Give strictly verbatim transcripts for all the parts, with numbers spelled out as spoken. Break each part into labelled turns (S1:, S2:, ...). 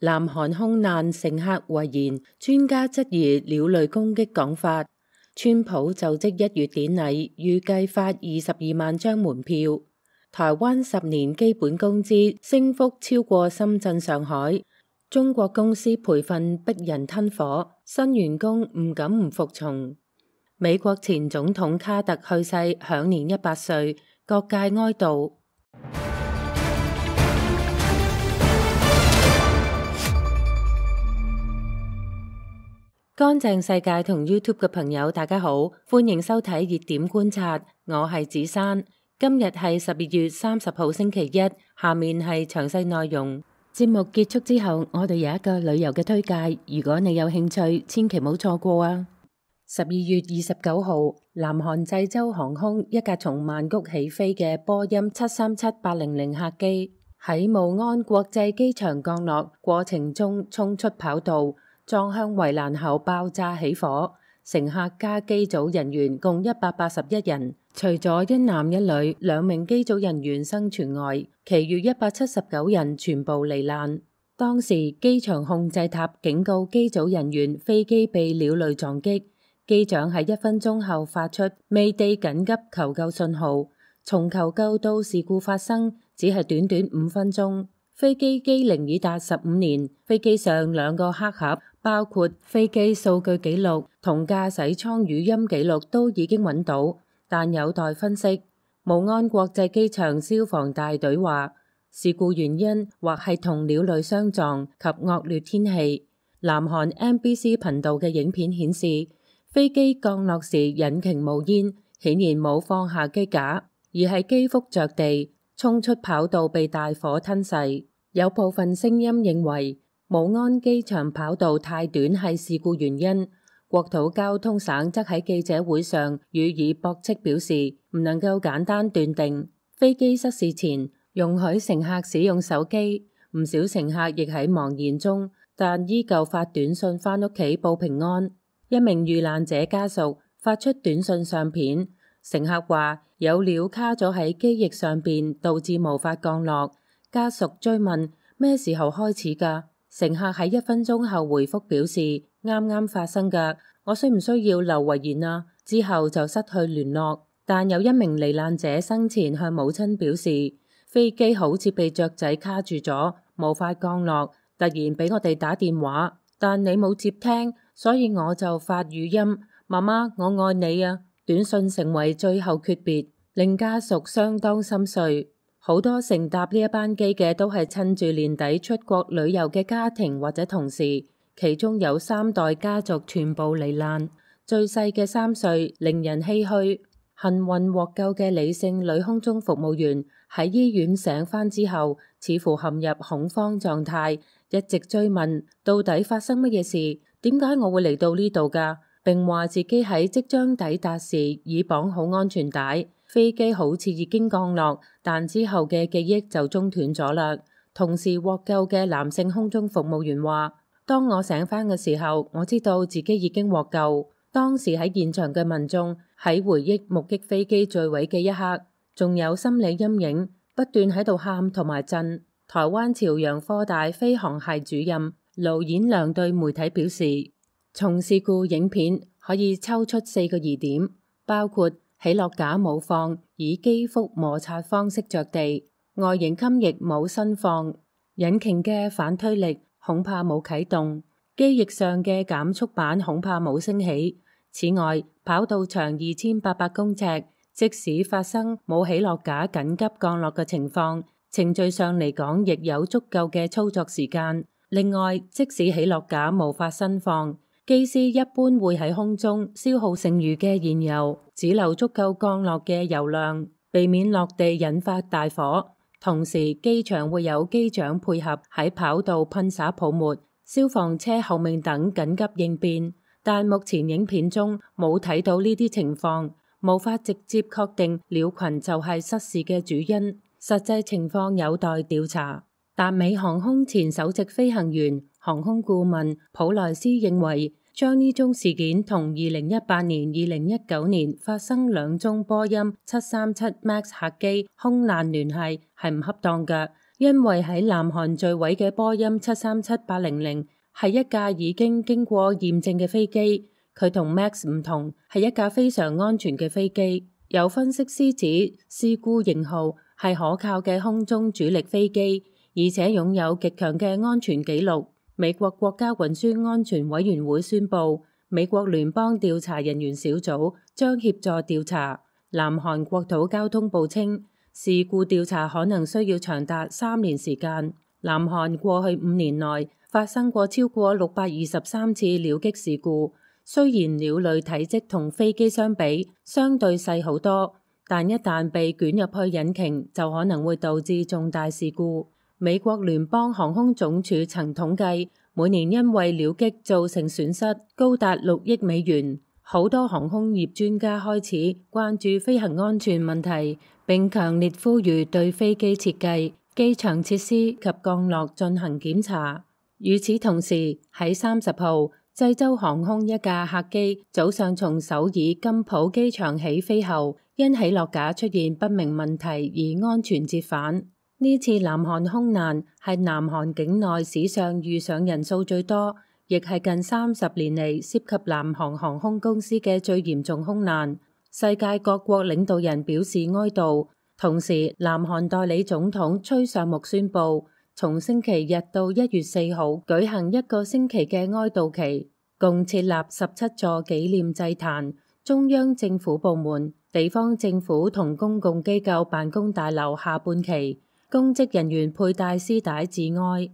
S1: 南韓空難乘客遺言，專家質疑鳥類攻擊講法。川普就職一月典禮，預計發二十二萬張門票。台灣十年基本工資升幅超過深圳、上海。中國公司培訓逼人吞火，新員工唔敢唔服從。美國前總統卡特去世，享年一百歲，各界哀悼。乾淨世界同 YouTube 嘅朋友，大家好，歡迎收睇熱點觀察，我係子珊。今日係十二月三十號星期一，下面係詳細內容。節目結束之後，我哋有一個旅遊嘅推介，如果你有興趣，千祈唔好錯過啊！十二月二十九號，南韓濟州航空一架從曼谷起飛嘅波音七三七八零零客機喺慕安國際機場降落過程中衝出跑道，撞向圍欄後爆炸起火，乘客加機組人員共一百八十一人，除咗一男一女兩名機組人員生存外，其餘一百七十九人全部罹難。當時機場控制塔警告機組人員飛機被鳥類撞擊，機長喺一分鐘後發出未地緊急求救信號，從求救到事故發生只係短短五分鐘。飛機機齡已達十五年，飛機上兩個黑盒，包括飛機數據記錄同駕駛艙語音記錄都已經揾到，但有待分析。慕安國際機場消防大隊話，事故原因或係同鳥類相撞及惡劣天氣。南韓 M B C 頻道嘅影片顯示，飛機降落時引擎冒煙，顯然冇放下機架，而係機腹着地，衝出跑道被大火吞噬。有部分聲音認為慕安機場跑道太短係事故原因。國土交通省則喺記者會上予以駁斥，表示唔能夠簡單斷定。飛機失事前容許乘客使用手機，唔少乘客亦喺茫然中，但依舊發短信返屋企報平安。一名遇難者家屬發出短信相片，乘客話有鳥卡咗喺機翼上邊，導致無法降落。家屬追問咩時候開始㗎？乘客喺一分鐘後回覆表示啱啱發生㗎，我需唔需要留遺言啊？之後就失去聯絡。但有一名罹難者生前向母親表示，飛機好似被雀仔卡住咗，無法降落，突然俾我哋打電話，但你冇接聽，所以我就發語音，媽媽我愛你啊。短信成為最後訣別，令家屬相當心碎。好多乘搭呢一班機嘅都係趁住年底出國旅遊嘅家庭或者同事，其中有三代家族全部罹難，最細嘅三歲，令人唏噓。幸運獲救嘅李姓女空中服務員喺醫院醒返之後，似乎陷入恐慌狀態，一直追問到底發生乜嘢事，點解我會嚟到呢度㗎？並話自己喺即將抵達時已綁好安全帶。飛機好似已經降落，但之後嘅記憶就中斷咗啦。同時獲救嘅男性空中服務員話，當我醒返嘅時候，我知道自己已經獲救。當時喺現場嘅民眾喺回憶目擊飛機墜毀嘅一刻，仲有心理陰影，不斷喺度喊同埋震。台灣朝陽科大飛航系主任盧演良對媒體表示，從事故影片可以抽出四個疑點，包括起落架冇放，以機腹摩擦方式着地；外形襟翼冇伸放；引擎嘅反推力恐怕冇啟動；機翼上嘅減速板恐怕冇升起。此外，跑道長二千八百公尺，即使發生冇起落架緊急降落嘅情況，程序上嚟講亦有足夠嘅操作時間。另外，即使起落架無法伸放，機師一般會喺空中消耗剩餘嘅燃油，只留足夠降落嘅油量，避免落地引發大火。同時，機場會有機長配合喺跑道噴灑泡沫、消防車後面等緊急應變。但目前影片中冇睇到呢啲情況，無法直接確定鳥群就係失事嘅主因。實際情況有待調查。達美航空前首席飛行員、航空顧問普萊斯認為，將呢宗事件同二零一八年、二零一九年發生兩宗波音七三七 MAX 客機空難聯繫係唔恰當嘅，因為喺南韓墜毀嘅波音七三七八零零係一架已經經過驗證嘅飛機，佢同 Max 唔同，係一架非常安全嘅飛機。有分析師指，事故型號係可靠嘅空中主力飛機，而且擁有極強嘅安全記錄。美國國家運輸安全委員會宣布，美國聯邦調查人員小組將協助調查。南韓國土交通部稱，事故調查可能需要長達三年時間。南韓過去五年內發生過超過六百二十三次鳥擊事故。雖然鳥類體積同飛機相比相對細好多，但一旦被捲入去引擎，就可能會導致重大事故。美國聯邦航空總署曾統計，每年因為鳥擊造成損失高達六億美元。好多航空業專家開始關注飛行安全問題，並強烈呼籲對飛機設計、機場設施及降落進行檢查。與此同時，喺三十號，濟州航空一架客機早上從首爾金浦機場起飛後，因起落架出現不明問題而安全折返。呢次南韓空難係南韓境內史上遇上人數最多，亦係近三十年嚟涉及南韓航空公司嘅最嚴重空難。世界各國領導人表示哀悼，同時南韓代理總統崔尚木宣布，從星期日到一月四號舉行一個星期嘅哀悼期，共設立十七座紀念祭壇，中央政府部門、地方政府同公共機構辦公大樓下半旗，公職人員佩戴絲帶致哀。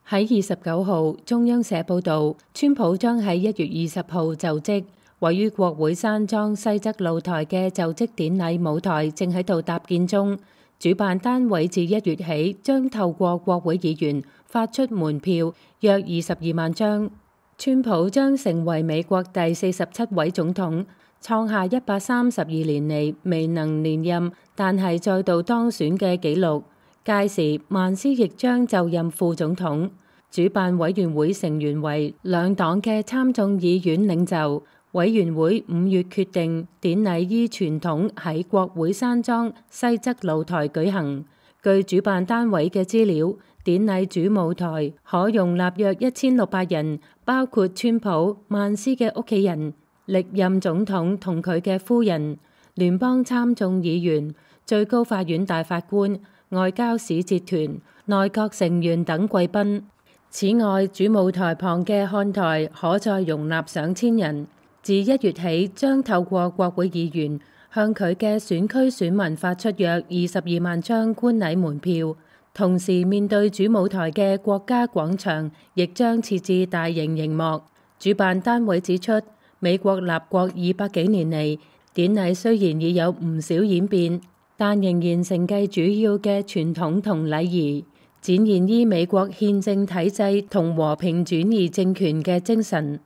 S1: 喺二十九號，中央社報道，川普將喺一月二十號就職。位於國會山莊西側露台嘅就職典禮舞台正喺度搭建中。主辦單位自一月起將透過國會議員發出門票，約二十二萬張。川普將成為美國第四十七位總統，創下一百三十二年嚟未能連任但係再度當選嘅紀錄。屆時，曼斯亦將就任副總統。主辦委員會成員為兩黨嘅參眾議院領袖。委員會五月決定典禮依傳統喺國會山莊西側露台舉行。據主辦單位嘅資料，典禮主舞台可容納約一千六百人，包括川普、曼斯嘅屋企人、歷任總統同佢嘅夫人、聯邦參眾議員、最高法院大法官、外交使節團、內閣成員等貴賓。此外，主舞台旁嘅看台可再容納上千人。自一月起，將透過國會議員向佢嘅選區選民發出約二十二萬張觀禮門票，同時面對主舞台嘅國家廣場亦將設置大型熒幕。主辦單位指出，美國立國二百幾年嚟，典禮雖然已有唔少演變，但仍然承繼主要嘅傳統同禮儀，展現依美國憲政體制同和平轉移政權嘅精神。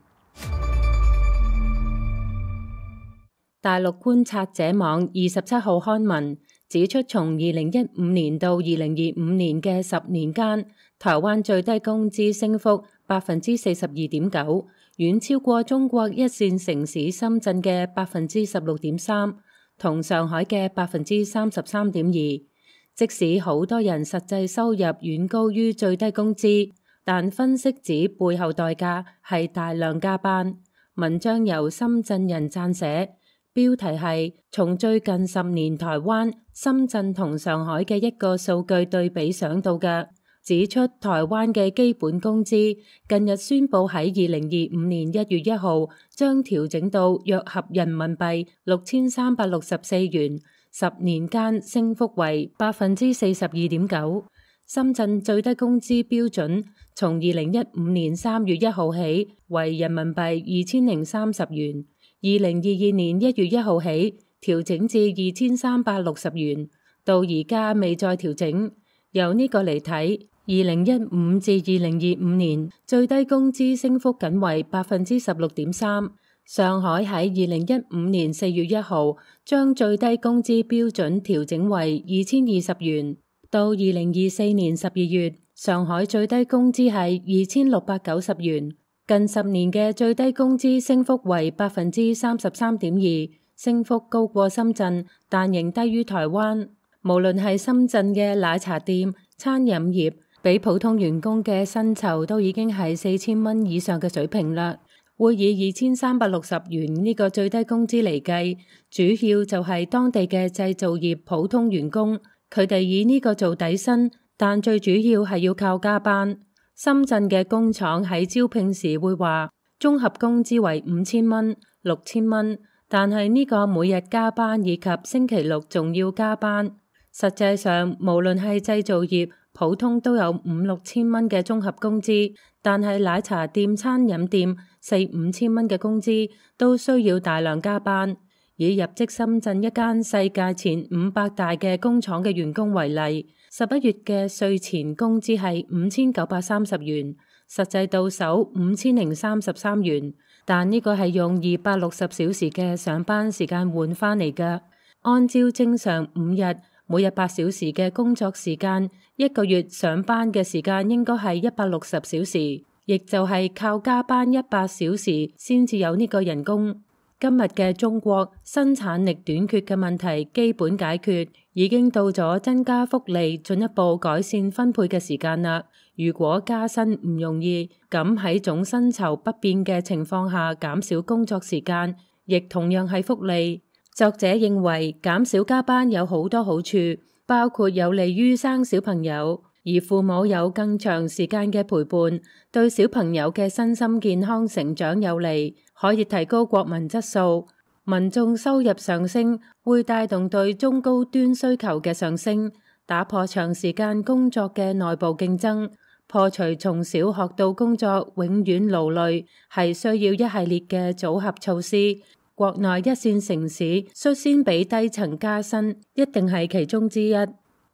S1: 大陸觀察者網二十七號刊文指出，從二零一五年到二零二五年嘅十年間，台灣最低工資升幅百分之四十二點九，遠超過中國一線城市深圳嘅百分之十六點三，同上海嘅百分之三十三點二。即使好多人實際收入遠高於最低工資，但分析指背後代價係大量加班。文章由深圳人撰寫。標題係從最近十年台灣、深圳同上海嘅一個數據對比想到嘅，指出台灣嘅基本工資近日宣布喺二零二五年一月一號將調整到約合人民幣六千三百六十四元，十年間升幅為百分之四十二點九。深圳最低工資標準從二零一五年三月一號起為人民幣二千零三十元。二零二二年一月一號起調整至二千三百六十元，到而家未再調整。由呢個嚟睇，二零一五至二零二五年最低工資升幅僅為百分之十六點三。上海喺二零一五年四月一號將最低工資標準調整為二千二十元，到二零二四年十二月，上海最低工資係二千六百九十元。近十年嘅最低工資升幅為百分之三十三點二，升幅高過深圳，但仍低於台灣。無論係深圳嘅奶茶店、餐飲業，比普通員工嘅薪酬都已經係四千蚊以上嘅水平啦。會以二千三百六十元呢個最低工資嚟計，主要就係當地嘅製造業普通員工，佢哋以呢個做底薪，但最主要係要靠加班。深圳嘅工廠喺招聘時會話，綜合工資為五千蚊、六千蚊，但係呢個每日加班以及星期六仲要加班。實際上，無論係製造業，普通都有五六千蚊嘅綜合工資，但係奶茶店、餐飲店四五千蚊嘅工資都需要大量加班。以入職深圳一間世界前五百大嘅工廠嘅員工為例，十一月嘅稅前工資係五千九百三十元，實際到手五千零三十三元，但呢個係用二百六十小時嘅上班時間換翻嚟㗎。按照正常五日，每日八小時嘅工作時間，一個月上班嘅時間應該係一百六十小時，亦就係靠加班一百小時先至有呢個人工。今日嘅中國生產力短缺嘅問題基本解決，已經到咗增加福利、進一步改善分配嘅時間啦。如果加薪唔容易，咁喺總薪酬不變嘅情況下減少工作時間，亦同樣係福利。作者認為減少加班有好多好處，包括有利於生小朋友，而父母有更長時間嘅陪伴，對小朋友嘅身心健康成長有利，可以提高國民質素。民眾收入上升，會帶動對中高端需求嘅上升，打破長時間工作嘅內部競爭，破除從小學到工作永遠勞累，係需要一系列嘅組合措施。國內一線城市率先俾低層加薪，一定係其中之一。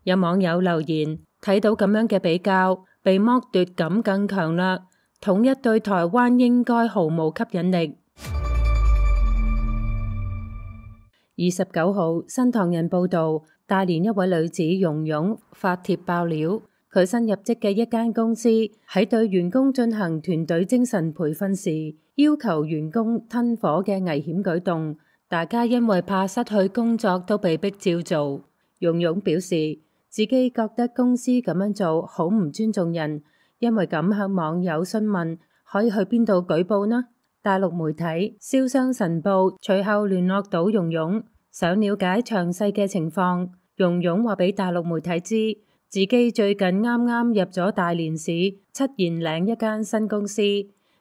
S1: 有網友留言，睇到咁樣嘅比較，被剝奪感更強啦。統一對台灣應該毫無吸引力。二十九號，新唐人報道，大連一位女子蓉蓉發帖爆料，佢新入職嘅一間公司喺對員工進行團隊精神培訓時，要求員工吞火嘅危險舉動，大家因為怕失去工作都被逼照做。蓉蓉表示自己覺得公司咁樣做好唔尊重人，因為咁向網友詢問可以去邊度舉報呢？大陸媒體《瀟湘晨報》隨後聯絡到蓉蓉，想了解詳細嘅情況。蓉蓉話俾大陸媒體知，自己最近啱啱入咗大連市七賢嶺一間新公司，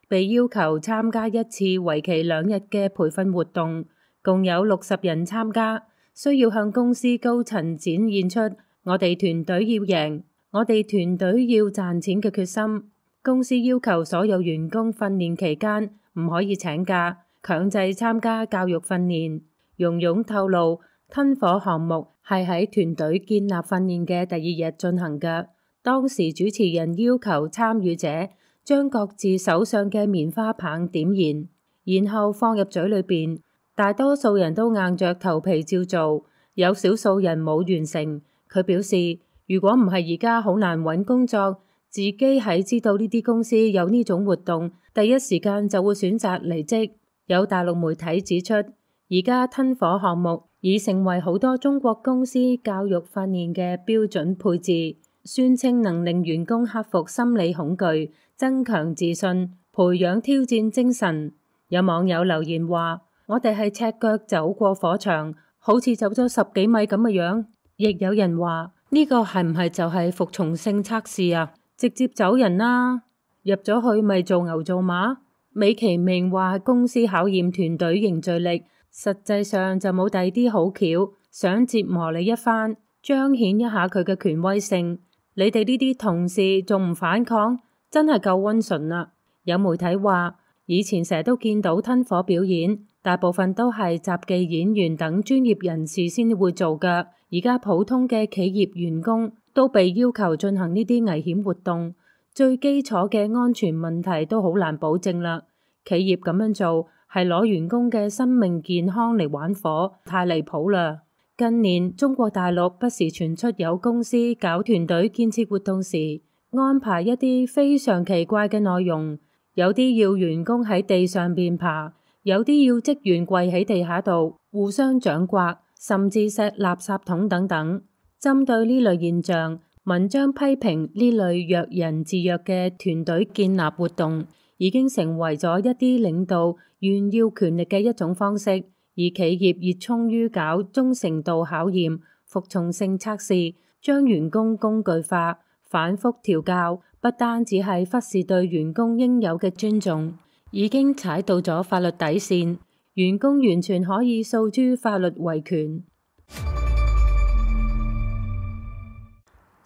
S1: 被要求參加一次為期兩日嘅培訓活動，共有六十人參加，需要向公司高層展現出我哋團隊要贏，我哋團隊要賺錢嘅決心。公司要求所有員工訓練期間唔可以請假，強制參加教育訓練。蓉蓉透露，吞火項目係喺團隊建立訓練嘅第二日進行嘅。當時主持人要求參與者將各自手上嘅棉花棒點燃，然後放入嘴裏邊。大多數人都硬着頭皮照做，有少數人冇完成。佢表示，如果唔係而家好難揾工作，自己喺知道呢啲公司有呢種活動，第一時間就會選擇離職。有大陸媒體指出，而家吞火項目已成為好多中國公司教育訓練嘅標準配置，宣稱能令員工克服心理恐懼，增強自信，培養挑戰精神。有網友留言話，我哋係赤腳走過火場，好似走咗十幾米咁嘅樣。亦有人話，呢個係唔係就係服從性測試啊？直接走人啦，入咗去咪做牛做馬？美其名話公司考驗團隊凝聚力，實際上就冇第啲好橋，想折磨你一番，彰顯一下佢嘅權威性。你哋呢啲同事仲唔反抗，真係夠溫順啦。有媒體話，以前成日都見到吞火表演，大部分都係雜技演員等專業人士先會做㗎。而家普通嘅企業員工都被要求進行呢啲危險活動，最基礎嘅安全問題都好難保證啦。企業咁樣做係攞員工嘅生命健康嚟玩火，太離譜啦。近年中國大陸不時傳出有公司搞團隊建設活動時，安排一啲非常奇怪嘅內容，有啲要員工喺地上邊爬，有啲要職員跪喺地下度互相掌摑，甚至錫垃圾桶等等。針對呢類現象，文章批評呢類弱人自弱嘅團隊建立活動已經成為咗一啲領導炫耀權力嘅一種方式，而企業熱衷於搞忠誠度考驗、服從性測試，將員工工具化、反覆調教，不單只係忽視對員工應有嘅尊重，已經踩到咗法律底線，員工完全可以訴諸法律維權。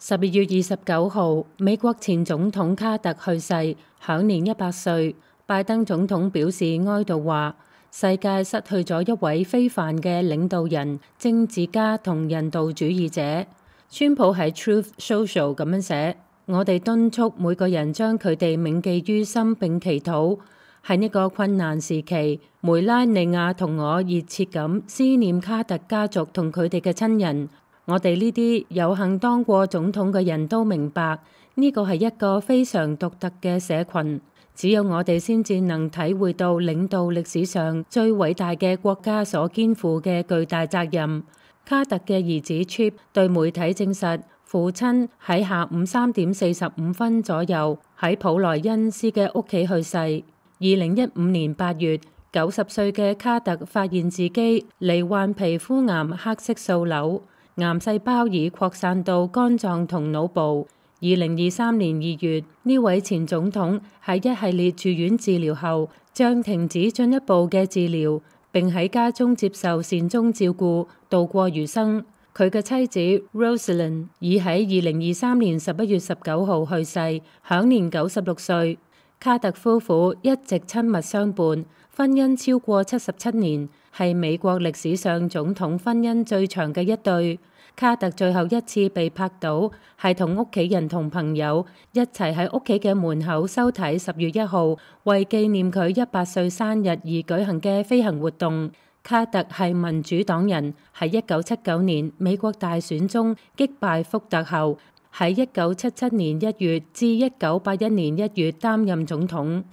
S1: 十二月二十九號，美國前總統卡特去世，享年一百歲。拜登總統表示哀悼，話世界失去咗一位非凡嘅領導人、政治家同人道主義者。川普喺 Truth Social 咁樣寫：我哋敦促每個人將佢哋銘記於心並祈禱。喺呢個困難時期，梅拉尼亞同我熱切咁思念卡特家族同佢哋嘅親人。我哋呢啲有幸當過總統嘅人都明白，呢個係一個非常獨特嘅社群。只有我哋先至能體會到領導歷史上最偉大嘅國家所肩負嘅巨大責任。卡特嘅兒子 Chip 對媒體證實，父親喺下午三點四十五分左右喺普萊恩斯嘅屋企去世。二零一五年八月，九十歲嘅卡特發現自己罹患皮膚癌黑色素瘤。癌細胞已擴散到肝臟同腦部。二零二三年二月，呢位前總統喺一系列住院治療後，將停止進一步嘅治療，並喺家中接受善終照顧，度過餘生。佢嘅妻子 Rosalind 已喺二零二三年十一月十九號去世，享年九十六歲。卡特夫婦一直親密相伴，婚姻超過七十七年，係美國歷史上總統婚姻最長嘅一對。卡特最後一次被拍到係同屋企人同朋友一齊喺屋企嘅門口收睇十月一號為紀念佢一百歲生日而舉行嘅飛行活動。卡特係民主黨人，喺一九七九年美國大選中擊敗福特後，喺一九七七年一月至一九八一年一月擔任總統。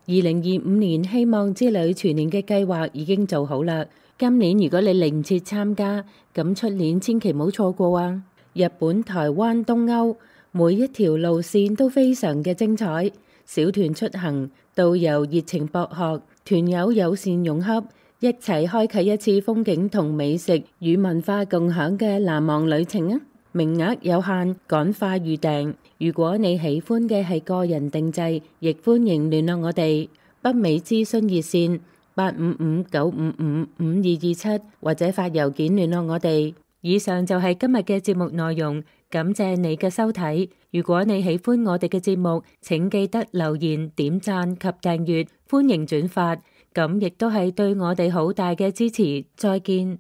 S1: 二零二五年希望之旅全年嘅計劃已經做好啦。今年如果你嚟唔切參加，咁出年千祈唔好錯過啊！日本、台灣、東歐，每一條路線都非常嘅精彩。小團出行，導遊熱情博學，團友友善融洽，一齊開啟一次風景同美食與文化共享嘅難忘旅程啊！名額有限，趕快預訂。如果你喜歡嘅係個人定制，亦歡迎聯絡我哋。北美諮詢熱線八五五九五五五二二七，或者發郵件聯絡我哋。以上就係今日嘅節目內容，感謝你嘅收睇。如果你喜歡我哋嘅節目，請記得留言、點讚及訂閱，歡迎轉發，咁亦都係對我哋好大嘅支持。再見。